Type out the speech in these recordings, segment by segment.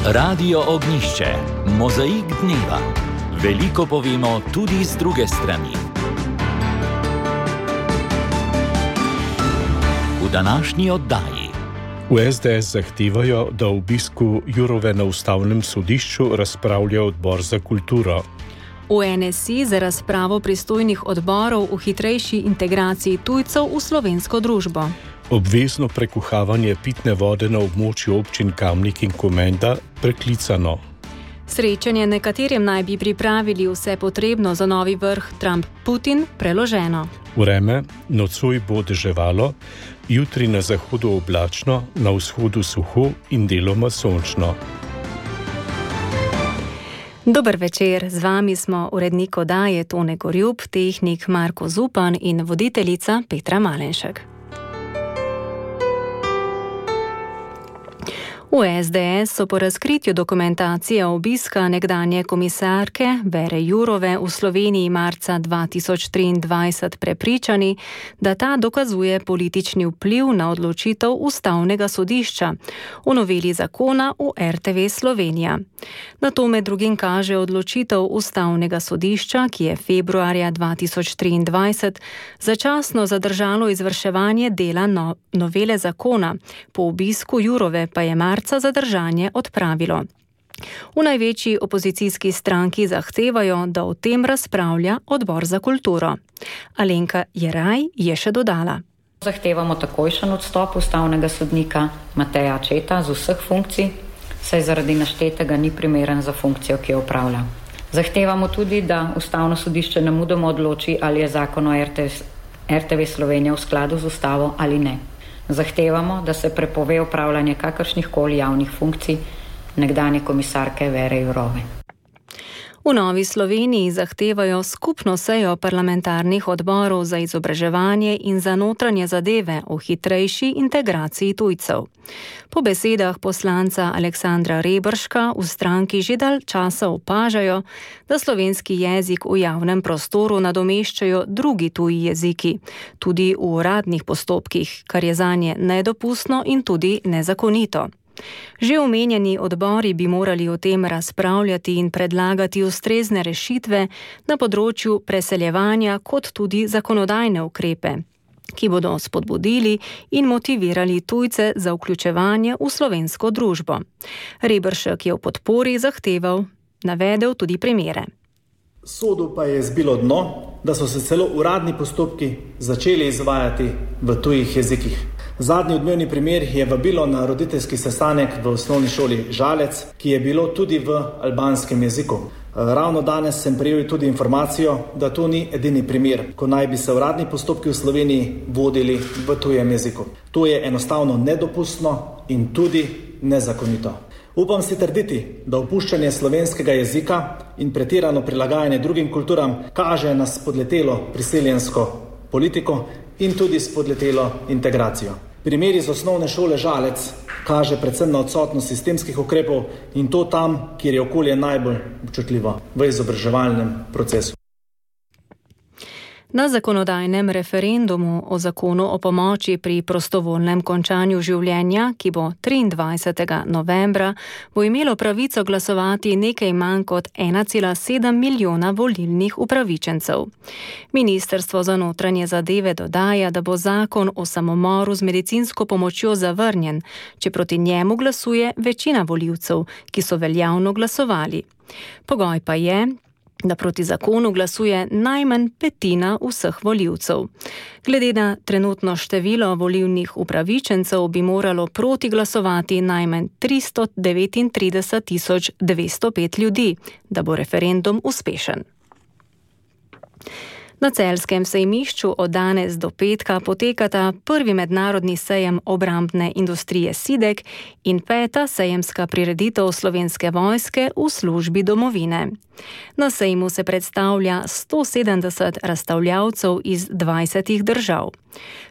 Radio Ognjišče, mozaik dneva. Veliko povemo tudi z druge strani. V današnji oddaji. V SDS zahtevajo, da o obisku Jourove na ustavnem sodišču razpravlja odbor za kulturo. V NSI za razpravo pristojnih odborov o hitrejši integraciji tujcev v slovensko družbo. Obvezno prekuhavanje pitne vode na območju občin Kamnik in Komenda preklicano. Srečanje, na katerem naj bi pripravili vse potrebno za novi vrh Trump-Putin, preloženo. Vreme, nocoj bo deževalo, jutri na zahodu oblačno, na vzhodu suho in deloma sončno. Dober večer, z vami smo urednik oddaje Tone Gorjup, tehnik Marko Zupan in voditeljica Petra Malenšek. V SDS so po razkritju dokumentacije obiska nekdanje komisarke Vere Jourove v Sloveniji marca 2023 prepričani, da ta dokazuje politični vpliv na odločitev Ustavnega sodišča v noveli zakona o RTV Slovenija. Na to med drugim kaže odločitev Ustavnega sodišča, ki je februarja 2023 začasno zadržalo izvrševanje dela novele zakona, po obisku Jourove pa je marca zadržanje odpravilo. V največji opozicijski stranki zahtevajo, da o tem razpravlja odbor za kulturo. Alenka Jeraj je še dodala. Zahtevamo takojšen odstop ustavnega sodnika Mateja Acceta z vseh funkcij, saj zaradi naštetega ni primeren za funkcijo, ki jo opravlja. Zahtevamo tudi, da Ustavno sodišče nemudoma odloči, ali je zakon o RTV Slovenija v skladu z ustavo ali ne. Zahtevamo, da se prepove opravljanje kakršnihkoli javnih funkcij nekdanje komisarke Vere Jourove. V Novi Sloveniji zahtevajo skupno sejo parlamentarnih odborov za izobraževanje in za notranje zadeve o hitrejši integraciji tujcev. Po besedah poslanca Aleksandra Reberška v stranki že dalj časa opažajo, da slovenski jezik v javnem prostoru nadomeščajo drugi tuji jeziki, tudi v uradnih postopkih, kar je zanje nedopustno in tudi nezakonito. Že omenjeni odbori bi morali o tem razpravljati in predlagati ustrezne rešitve na področju preseljevanja kot tudi zakonodajne ukrepe, ki bodo spodbudili in motivirali tujce za vključevanje v slovensko družbo. Reberšek je v podpori navedel tudi primere. Sodu pa je zbilo dno, da so se celo uradni postopki začeli izvajati v tujih jezikih. Zadnji odmevni primer je vabilo na roditeljski sestanek v osnovni šoli Žalec, ki je bilo tudi v albanskem jeziku. Ravno danes sem prejel tudi informacijo, da to ni edini primer, ko naj bi se uradni postopki v Sloveniji vodili v tujem jeziku. To je enostavno nedopustno in tudi nezakonito. Upam si trditi, da opuščanje slovenskega jezika in pretirano prilagajanje drugim kulturam kaže na spodletelo priseljensko politiko in tudi spodletelo integracijo. Primer iz osnovne šole Žalec kaže predvsem na odsotnost sistemskih ukrepov in to tam, kjer je okolje najbolj občutljivo, v izobraževalnem procesu. Na zakonodajnem referendumu o zakonu o pomoči pri prostovoljnem končanju življenja, ki bo 23. novembra, bo imelo pravico glasovati nekaj manj kot 1,7 milijona volilnih upravičencev. Ministrstvo za notranje zadeve dodaja, da bo zakon o samomoru z medicinsko pomočjo zavrnjen, če proti njemu glasuje večina volivcev, ki so veljavno glasovali. Pogoj pa je, da proti zakonu glasuje najmanj petina vseh volivcev. Glede na trenutno število volilnih upravičencev bi moralo proti glasovati najmanj 339.205 ljudi, da bo referendum uspešen. Na celjskem sejmišču od danes do petka potekata prvi mednarodni sejem obrambne industrije SIDEK in 5. sejemska prireditev Slovenske vojske v službi domovine. Na sejmu se predstavlja 170 razstavljavcev iz 20 držav.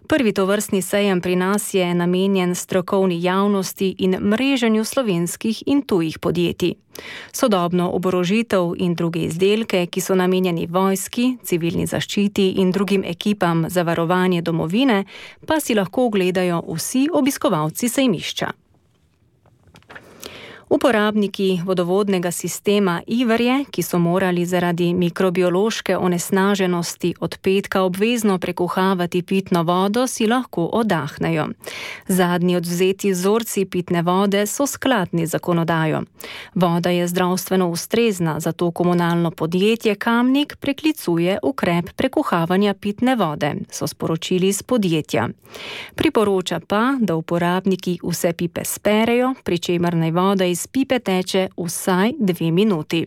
Prvi tovrstni sejem pri nas je namenjen strokovni javnosti in mreženju slovenskih in tujih podjetij. Sodobno oborožitev in druge izdelke, ki so namenjeni vojski, civilni zaščiti in drugim ekipam za varovanje domovine, pa si lahko ogledajo vsi obiskovalci sejmišča. Uporabniki vodovodnega sistema Iverje, ki so morali zaradi mikrobiološke onesnaženosti od petka obvezno prekuhavati pitno vodo, si lahko oddahnejo. Zadnji odvzeti vzorci pitne vode so skladni z zakonodajo. Voda je zdravstveno ustrezna, zato komunalno podjetje Kamnik preklicuje ukrep prekuhavanja pitne vode, so sporočili iz podjetja. Priporoča pa, da uporabniki vse pipe sperejo, pri čemer naj voda iz pipe teče vsaj 2 minuti.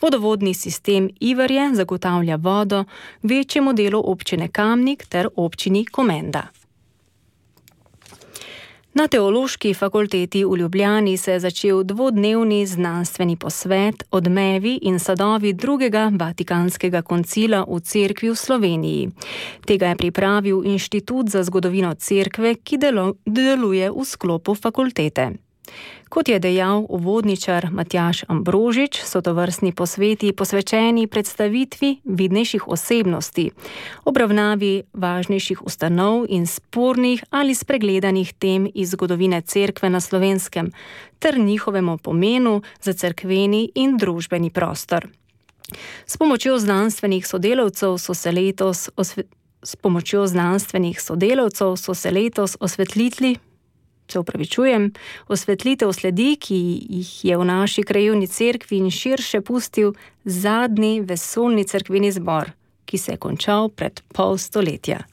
Vodovodni sistem Iverje zagotavlja vodo večjemu delu občine Kamnik ter občini Komenda. Na Teološki fakulteti v Ljubljani se je začel 2-dnevni znanstveni posvet Odmevi in sadovi drugega Vatikanskega koncila v Cerkvi v Sloveniji. Tega je pripravil Inštitut za zgodovino Cerkve, ki deluje v sklopu fakultete. Kot je dejal uvodničar Matjaž Ambrožič, so tovrstni posveti posvečeni predstavitvi vidnejših osebnosti, obravnavi važnejših ustanov in spornih ali spregledanih tem iz zgodovine Cerkve na Slovenskem ter njihovemu pomenu za cerkveni in družbeni prostor. S pomočjo znanstvenih sodelavcev so se letos osvetlitev sledi, ki jih je v naši krajevni cerkvi in širše pustil zadnji vesoljni cerkveni zbor, ki se je končal pred pol stoletja.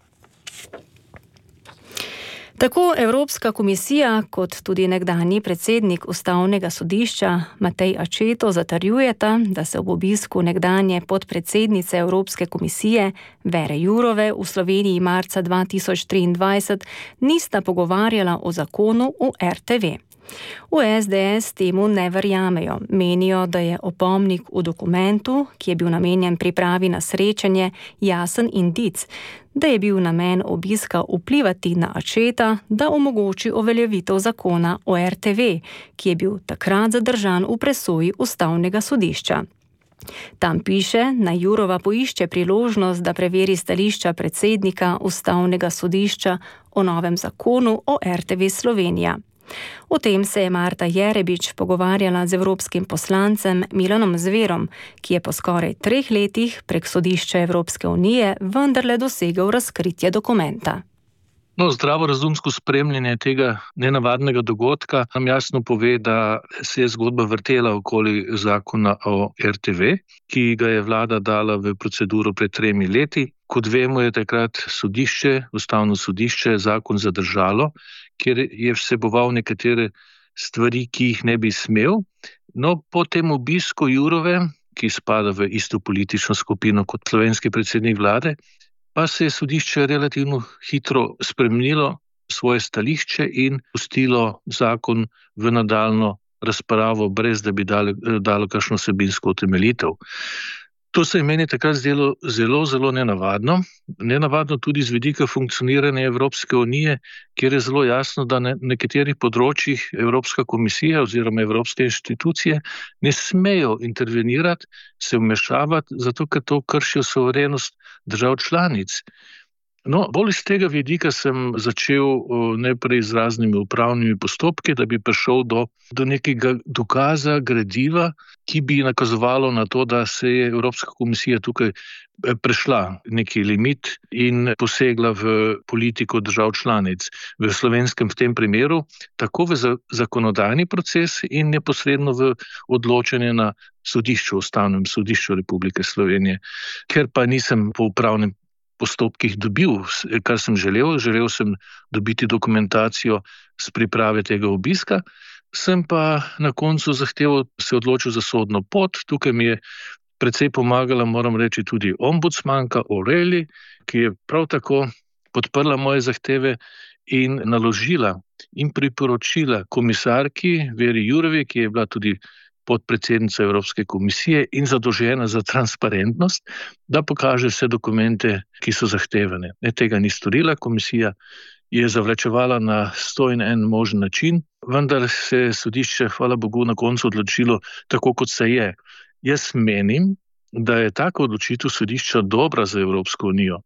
Tako Evropska komisija kot tudi nekdanji predsednik Ustavnega sodišča Matej Accetto zatrjujeta, da se ob obisku nekdanje podpredsednice Evropske komisije Vere Jourove v Sloveniji marca 2023 nista pogovarjala o zakonu o RTV. V SDS temu ne verjamejo. Menijo, da je opomnik v dokumentu, ki je bil namenjen pripravi na srečanje, jasen indic, da je bil namen obiska vplivati na Accetta, da omogoči uveljavitev zakona o RTV, ki je bil takrat zadržan v presoji Ustavnega sodišča. Tam piše, naj Jourova poišče priložnost, da preveri stališča predsednika Ustavnega sodišča o novem zakonu o RTV Slovenija. O tem se je Marta Jerebič pogovarjala z evropskim poslancem Milanom Zverom, ki je po skoraj 3 letih prek sodišča Evropske unije vendarle dosegel razkritje dokumenta. Zdravorazumsko spremljanje tega nenavadnega dogodka nam jasno pove, da se je zgodba vrtela okoli zakona o RTV, ki ga je vlada dala v proceduro pred 3 leti. Kot vemo, je takrat Ustavno sodišče zakon zadržalo, kjer je vseboval nekatere stvari, ki jih ne bi smel. No, po tem obisku Jourove, ki spada v isto politično skupino kot slovenski predsednik vlade, pa se je sodišče relativno hitro spremenilo svoje stališče in pustilo zakon v nadaljnjo razpravo, brez da bi dalo kakšno vsebinsko utemeljitev. To se je meni takrat zdelo zelo nenavadno. Nenavadno tudi z vidika funkcioniranja Evropske unije, kjer je zelo jasno, da na nekaterih področjih Evropska komisija oziroma evropske inštitucije ne smejo intervenirati, se vmešavati, zato ker to kršijo suverenost držav članic. No, bolj iz tega vidika sem začel najprej z raznimi upravnimi postopki, da bi prišel do nekega dokaza, gradiva, ki bi nakazovalo na to, da se je Evropska komisija tukaj prešla neki limit in posegla v politiko držav članic. V slovenskem v tem primeru, tako v zakonodajni proces in neposredno v odločanje na sodišču, Ustavnem sodišču Republike Slovenije. Ker pa nisem po upravnem postopkih dobil, kar sem želel. Želel sem dobiti dokumentacijo z priprave tega obiska, sem pa na koncu se odločil za sodno pot. Tukaj mi je precej pomagala, moram reči, tudi ombudsmanka O'Reilly, ki je prav tako podprla moje zahteve in naložila in priporočila komisarki Veri Jourovi, ki je bila tudi podpredsednica Evropske komisije in zadolžena za transparentnost, da pokaže vse dokumente, ki so zahtevane. Tega ni storila, komisija je zavlačevala na 101 možen način, vendar se je sodišče, hvala Bogu, na koncu odločilo tako, kot se je. Jaz menim, da je taka odločitev sodišča dobra za Evropsko unijo.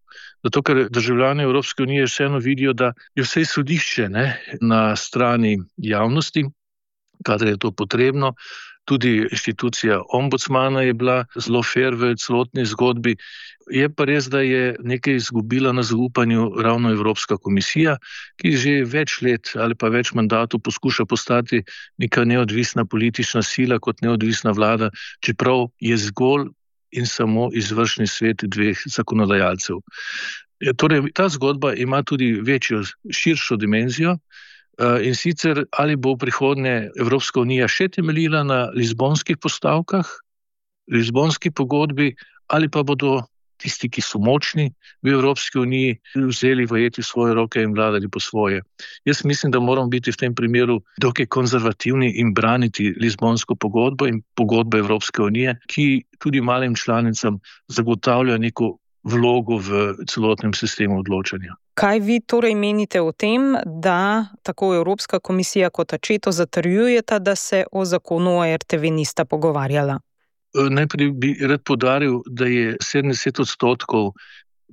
Zato, ker državljani Evropske unije vseeno vidijo, da je vse sodišče na strani javnosti, kadar je to potrebno. Tudi inštitucija ombudsmana je bila zelo fair v celotni zgodbi. Je pa res, da je nekaj izgubila na zaupanju ravno Evropska komisija, ki že več let ali pa več mandatov poskuša postati neka neodvisna politična sila kot neodvisna vlada, čeprav je zgolj in samo izvršni svet dveh zakonodajalcev. Torej, ta zgodba ima tudi večjo, širšo dimenzijo, in sicer ali bo v prihodnje Evropska unija še temeljila na lizbonskih postavkah, lizbonski pogodbi, ali pa bodo tisti, ki so močni v Evropski uniji, vzeli vajeti svoje roke in vladali po svoje. Jaz mislim, da moramo biti v tem primeru dokaj konzervativni in braniti lizbonsko pogodbo in pogodbo Evropske unije, ki tudi malim članicam zagotavlja neko vlogo v celotnem sistemu odločanja. Kaj vi torej menite o tem, da tako Evropska komisija kot Accetto zatrjujeta, da se o zakonu o RTV nista pogovarjala? Najprej bi rad poudaril, da je 70%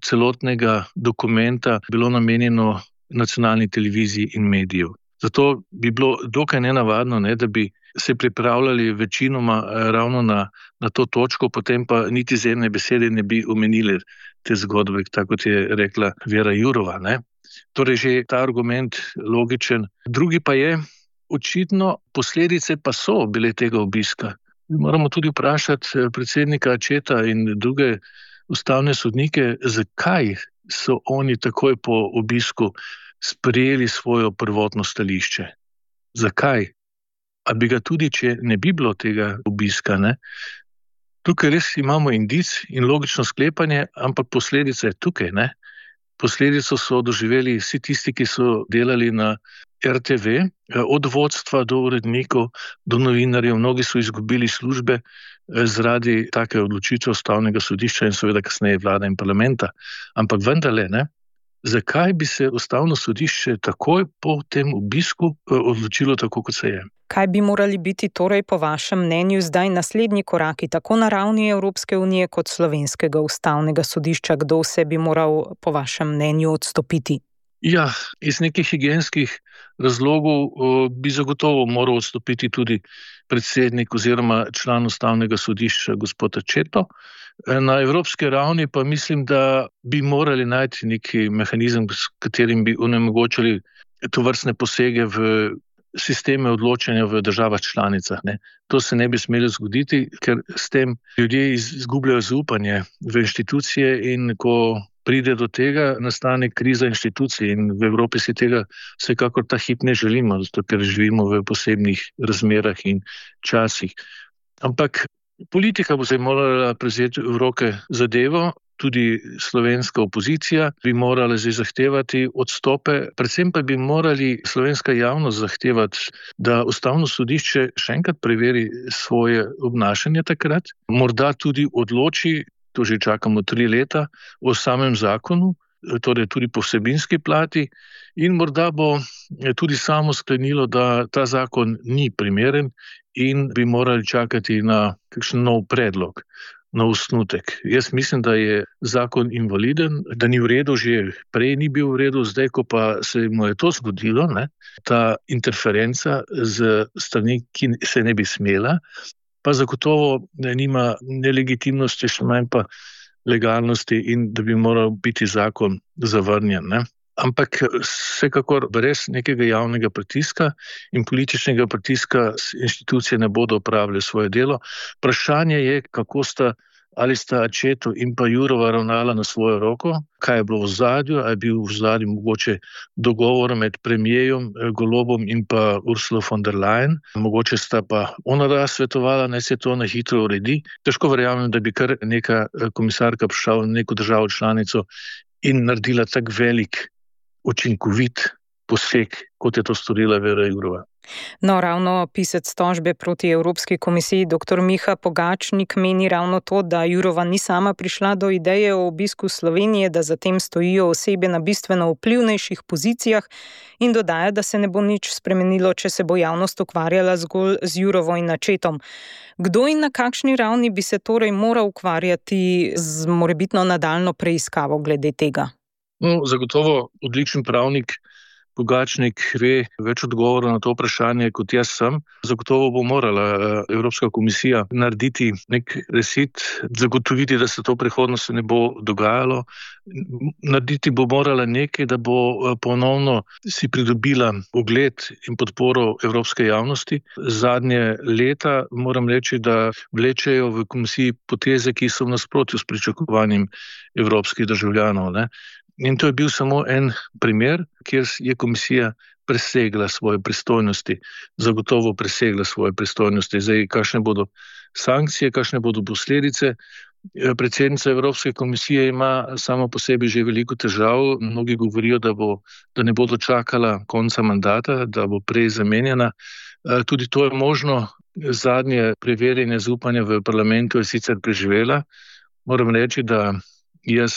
celotnega dokumenta bilo namenjeno nacionalni televiziji in medijev. Zato bi bilo dokaj nenavadno, da bi se pripravljali večinoma ravno na to točko, potem pa niti z ene besede ne bi omenili te zgodbe, tako kot je rekla Vera Jourova. Torej že ta argument logičen. Drugi pa je, očitno posledice pa so bile tega obiska. Moramo tudi vprašati predsednika Accetta in druge ustavne sodnike, zakaj so oni takoj po obisku sprejeli svojo prvotno stališče. Zakaj? A bi ga tudi, če ne bi bilo tega obiska, Tukaj res imamo indic in logično sklepanje, ampak posledica je tukaj, Posledico so doživeli vsi tisti, ki so delali na RTV, od vodstva do urednikov, do novinarjev. Mnogi so izgubili službe zaradi take odločitve Ustavnega sodišča in seveda kasneje vlade in parlamenta. Ampak vendarle, zakaj bi se Ustavno sodišče takoj po tem obisku odločilo tako, kot se je? Kaj bi morali biti torej po vašem mnenju zdaj naslednji koraki, tako na ravni Evropske unije kot Slovenskega ustavnega sodišča? Kdo vse bi moral po vašem mnenju odstopiti? Ja, iz nekih higienskih razlogov bi zagotovo moral odstopiti tudi predsednik oziroma član Ustavnega sodišča, gospod Accetto. Na evropski ravni pa mislim, da bi morali najti neki mehanizem, s katerim bi onemogočili tovrstne posege v sisteme odločanja v državah članicah. To se ne bi smelo zgoditi, ker s tem ljudje izgubljajo zaupanje v inštitucije in ko pride do tega, nastane kriza inštitucij in v Evropi si tega vsekakor ta hip ne želimo, zato ker živimo v posebnih razmerah in časih. Ampak politika bo se morala prevzeti v roke zadevo, tudi slovenska opozicija bi morala zdaj zahtevati odstope, predvsem pa bi morali slovenska javnost zahtevati, da Ustavno sodišče še enkrat preveri svoje obnašanje takrat, morda tudi odloči, to že čakamo 3 leta, o samem zakonu, torej tudi po vsebinski plati, in morda bo tudi samo sklenilo, da ta zakon ni primeren in bi morali čakati na kakšen nov predlog, na osnutek. Jaz mislim, da je zakon invaliden, da ni v redu, že prej ni bil v redu, zdaj, ko pa se mu je to zgodilo, ta interferenca z strani, ki se ne bi smela, pa zagotovo nima nelegitimnosti, še manj pa legalnosti in da bi moral biti zakon zavrnjen. Ampak vsekakor brez nekega javnega pritiska in političnega pritiska inštitucije ne bodo opravile svoje delo. Vprašanje je, ali sta Accetto in pa Jourova ravnala na svojo roko, kaj je bilo v ozadju, ali je bil v ozadju mogoče dogovor med premijerjem Golobom in pa Ursulo von der Leyen. Mogoče sta pa ona svetovala, naj se to na hitro uredi. Težko verjamem, da bi kar neka komisarka prišla v neko državo članico in naredila tak velik učinkovit poseg, kot je to storila Vera Jourova. No, ravno pisec tožbe proti Evropski komisiji dr. Miha Pogačnik meni ravno to, da Jourova ni sama prišla do ideje o obisku Slovenije, da za tem stojijo osebe na bistveno vplivnejših pozicijah in dodaja, da se ne bo nič spremenilo, če se bo javnost ukvarjala zgolj z Jourovo in Accettom. Kdo in na kakšni ravni bi se torej moral ukvarjati z morebitno nadaljnjo preiskavo glede tega? No, zagotovo odličen pravnik Pogačnik ve več odgovorov na to vprašanje, kot jaz sem. Zagotovo bo morala Evropska komisija narediti nek reset, zagotoviti, da se to v prihodnosti ne bo dogajalo. Narediti bo morala nekaj, da bo ponovno si pridobila ugled in podporo evropske javnosti. Zadnje leta moram reči, da vlečejo v komisiji poteze, ki so v nasprotju s pričakovanjem evropskih državljanov, ne. In to je bil samo en primer, kjer je komisija presegla svoje pristojnosti, zagotovo presegla svoje pristojnosti. Zdaj, kakšne bodo sankcije, kakšne bodo posledice. Predsednica Evropske komisije ima samo po sebi že veliko težav. Mnogi govorijo, da ne bo dočakala konca mandata, da bo prej zamenjana. Tudi to je možno. Zadnje preverjanje zaupanja v parlamentu je sicer preživela. Moram reči, da jaz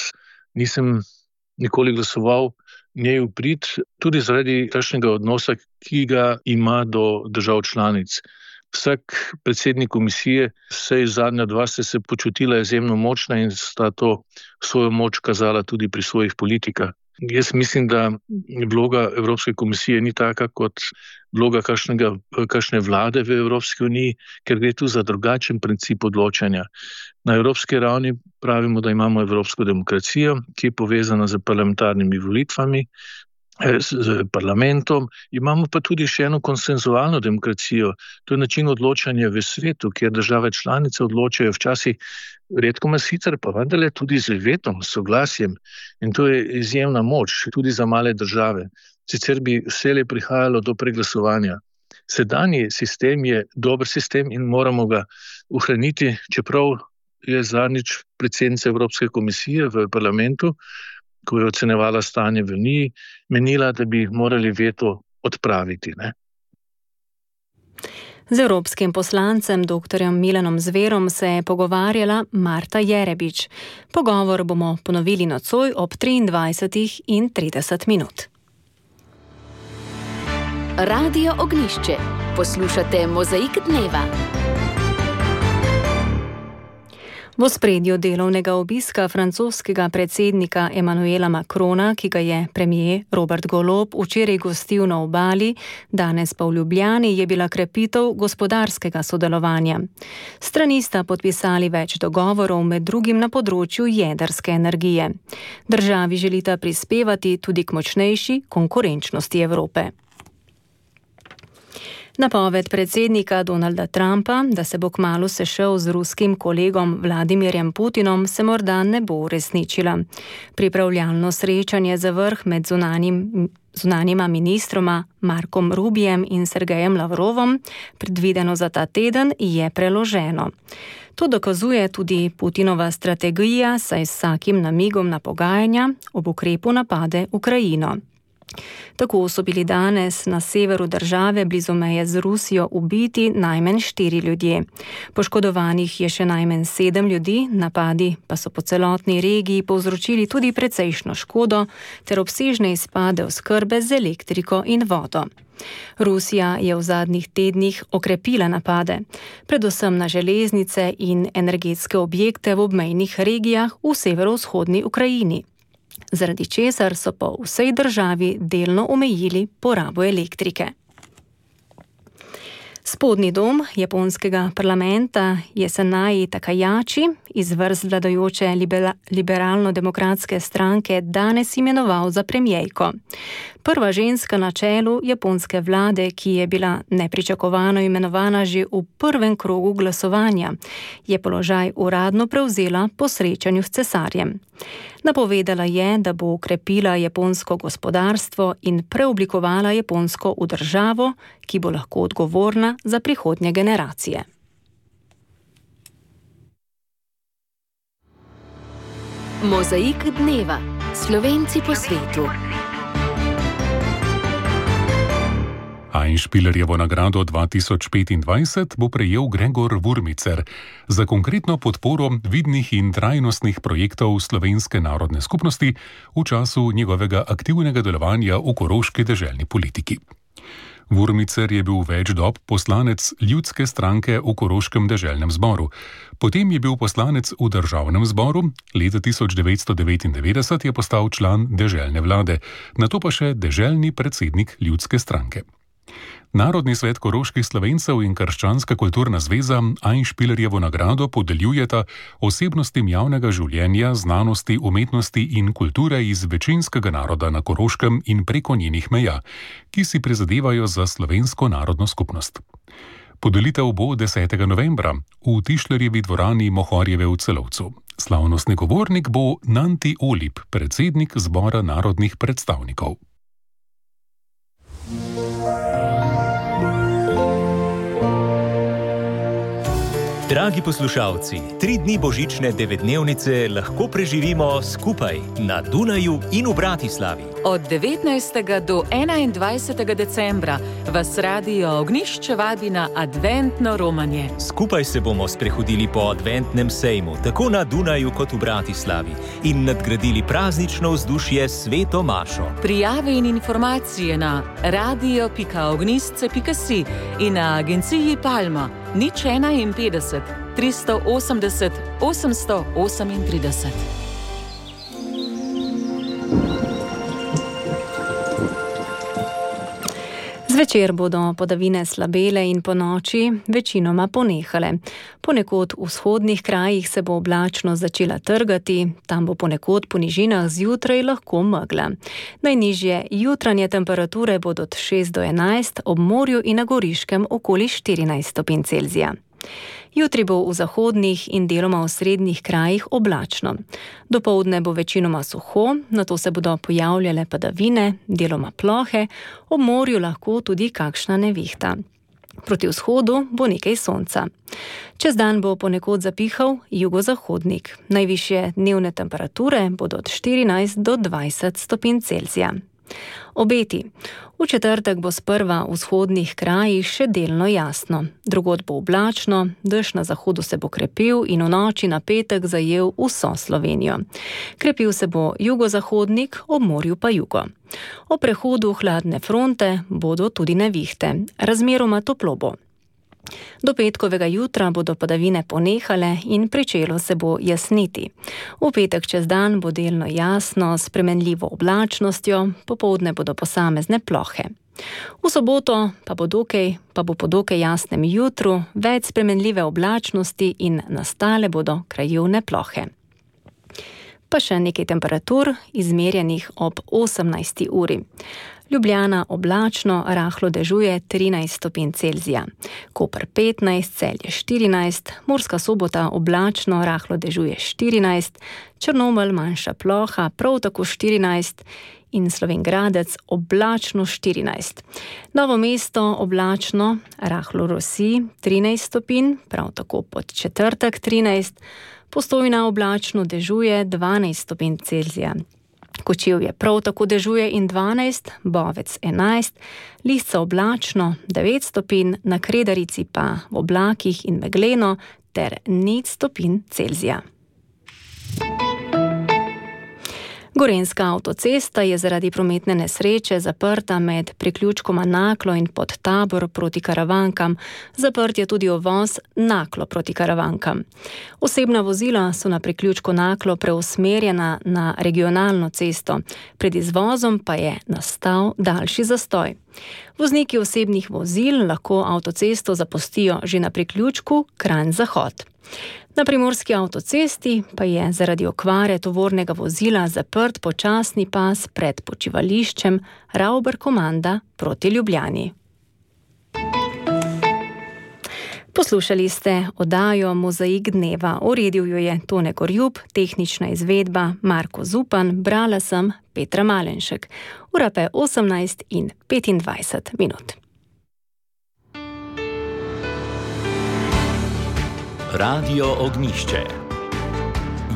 nisem nikoli glasoval njej v prid, tudi zaradi takšnega odnosa, ki ga ima do držav članic. Vsak predsednik komisije, vsaj zadnja dva, sta se počutila izjemno močna in sta to svojo moč kazala tudi pri svojih politikah. Jaz mislim, da vloga Evropske komisije ni taka kot vloga kakšne vlade v Evropski uniji, ker gre tu za drugačen princip odločanja. Na evropski ravni pravimo, da imamo evropsko demokracijo, ki je povezana z parlamentarnimi volitvami, z parlamentom. Imamo pa tudi še eno konsenzualno demokracijo. To je način odločanja v svetu, kjer države članice odločajo včasih redko sicer, pa vendarle tudi z vetom, s soglasjem. In to je izjemna moč, tudi za male države. Sicer bi vselej prihajalo do preglasovanja. Sedanji sistem je dober sistem in moramo ga ohraniti, čeprav je zadnjič predsednica Evropske komisije v parlamentu, ko je ocenevala stanje v Uniji, menila, da bi morali veto odpraviti, ne? Z evropskim poslancem dr. Milanom Zverom se je pogovarjala Marta Jerebič. Pogovor bomo ponovili nocoj ob 23:30. Radio Ognjišče. Poslušate Mozaik dneva. V ospredju delovnega obiska francoskega predsednika Emmanuela Macrona, ki ga je premier Robert Golob včeraj gostil na Obali, danes pa v Ljubljani, je bila krepitev gospodarskega sodelovanja. Strani sta podpisali več dogovorov, med drugim na področju jedrske energije. Državi želita prispevati tudi k močnejši konkurenčnosti Evrope. Napoved predsednika Donalda Trumpa, da se bo kmalu sešel z ruskim kolegom Vladimirjem Putinom, se morda ne bo uresničila. Pripravljalno srečanje za vrh med zunanjima ministroma Markom Rubijem in Sergejem Lavrovom, predvideno za ta teden, je preloženo. To dokazuje tudi Putinova strategija, saj s vsakim namigom na pogajanja ob ukrepu napade Ukrajino. Tako so bili danes na severu države blizu meje z Rusijo ubiti najmanj 4 ljudje. Poškodovanih je še najmanj 7 ljudi, napadi pa so po celotni regiji povzročili tudi precejšno škodo ter obsežne izpade oskrbe z elektriko in vodo. Rusija je v zadnjih tednih okrepila napade, predvsem na železnice in energetske objekte v obmejnih regijah v severovzhodni Ukrajini, zaradi česar so po vsej državi delno omejili porabo elektrike. Spodnji dom japonskega parlamenta Jesenai Takajači iz vrst vladajoče liberalno-demokratske stranke danes imenoval za premijejko. Prva ženska na čelu japonske vlade, ki je bila nepričakovano imenovana že v prvem krogu glasovanja, je položaj uradno prevzela po srečanju s cesarjem. Napovedala je, da bo ukrepila japonsko gospodarstvo in preoblikovala Japonsko v državo, ki bo lahko odgovorna za prihodnje generacije. Mozaik dneva. Slovenci po svetu. Einspielerjevo nagrado 2025 bo prejel Gregor Vurmicer za konkretno podporo vidnih in trajnostnih projektov slovenske narodne skupnosti v času njegovega aktivnega delovanja v koroški deželni politiki. Vurmicer je bil več dob poslanec Ljudske stranke v Koroškem deželnem zboru. Potem je bil poslanec v državnem zboru, leta 1999 je postal član deželne vlade, nato pa še deželni predsednik Ljudske stranke. Narodni svet koroških Slovencev in Krščanska kulturna zveza Einspielerjevo nagrado podeljujeta osebnostim javnega življenja, znanosti, umetnosti in kulture iz večinskega naroda na Koroškem in preko njenih meja, ki si prizadevajo za slovensko narodno skupnost. Podelitev bo 10. novembra v Tišlerjevi dvorani Mohorjeve v Celovcu. Slavnostni govornik bo Nanti Olip, predsednik Zbora narodnih predstavnikov. Dragi poslušalci, 3 dni božične 9-dnevnice lahko preživimo skupaj na Dunaju in v Bratislavi. Od 19. do 21. decembra vas Radio Ognjišče vabi na adventno romanje. Skupaj se bomo sprehodili po adventnem sejmu, tako na Dunaju kot v Bratislavi, in nadgradili praznično vzdušje s Sveto mašo. Prijave in informacije na radio.ognjišče.si in na agenciji Palma 051 380 838. Zvečer bodo padavine slabele in ponoči večinoma ponehale. Ponekod v vzhodnih krajih se bo oblačno začela trgati, tam bo ponekod po nižinah zjutraj lahko megla. Najnižje jutranje temperature bodo od 6 do 11, ob morju in na Goriškem okoli 14 stopinj Celzija. Jutri bo v zahodnih in deloma v srednjih krajih oblačno. Dopoldne bo večinoma suho, nato se bodo pojavljale padavine, deloma plohe, ob morju lahko tudi kakšna nevihta. Proti vzhodu bo nekaj sonca. Čez dan bo ponekod zapihal jugozahodnik. Najvišje dnevne temperature bodo od 14 do 20 stopinj Celzija. Obeti. V četrtek bo sprva v vzhodnih krajih še delno jasno. Drugod bo oblačno, dež na zahodu se bo krepil in v noči na petek zajel vso Slovenijo. Krepil se bo jugozahodnik, ob morju pa jugo. O prehodu hladne fronte bodo tudi nevihte. Razmeroma toplo bo. Do petkovega jutra bodo padavine ponehale in pričelo se bo jasniti. V petek čez dan bo delno jasno s spremenljivo oblačnostjo, popoldne bodo posamezne plohe. V soboto pa bo po dokaj jasnem jutru več spremenljive oblačnosti in nastale bodo krajevne plohe. Pa še nekaj temperatur, izmerjenih ob 18. uri. Ljubljana oblačno, rahlo dežuje 13 stopinj Celzija. Koper 15, Celje 14, Murska Sobota oblačno, rahlo dežuje 14, Črnomelj manjša ploha, prav tako 14 in Slovenj Gradec oblačno 14. Novo mesto oblačno, rahlo rosi 13 stopinj, prav tako pod četrtek 13, Postojna oblačno dežuje 12 stopinj Celzija. Kočevje prav tako dežuje in 12, Bovec 11, Lisca oblačno 9 stopinj, na Kredarici pa v oblakih in megleno ter 0 stopinj Celzija. Gorenjska avtocesta je zaradi prometne nesreče zaprta med priključkoma Naklo in Podtabor proti Karavankam. Zaprt je tudi uvoz Naklo proti Karavankam. Osebna vozila so na priključku Naklo preusmerjena na regionalno cesto. Pred izvozom pa je nastal daljši zastoj. Vozniki osebnih vozil lahko avtocesto zapustijo že na priključku Kranj-Zahod. Na primorski avtocesti pa je zaradi okvare tovornega vozila zaprt počasni pas pred počivališčem Rauber-Komanda proti Ljubljani. Poslušali ste oddajo Mozaik dneva. Uredil jo je Tone Gorjub, tehnična izvedba Marko Zupan, brala sem Petra Malenšek. Ura pa je 18:25. Radio Ognjišče.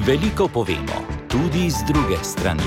Veliko povemo, tudi z druge strani.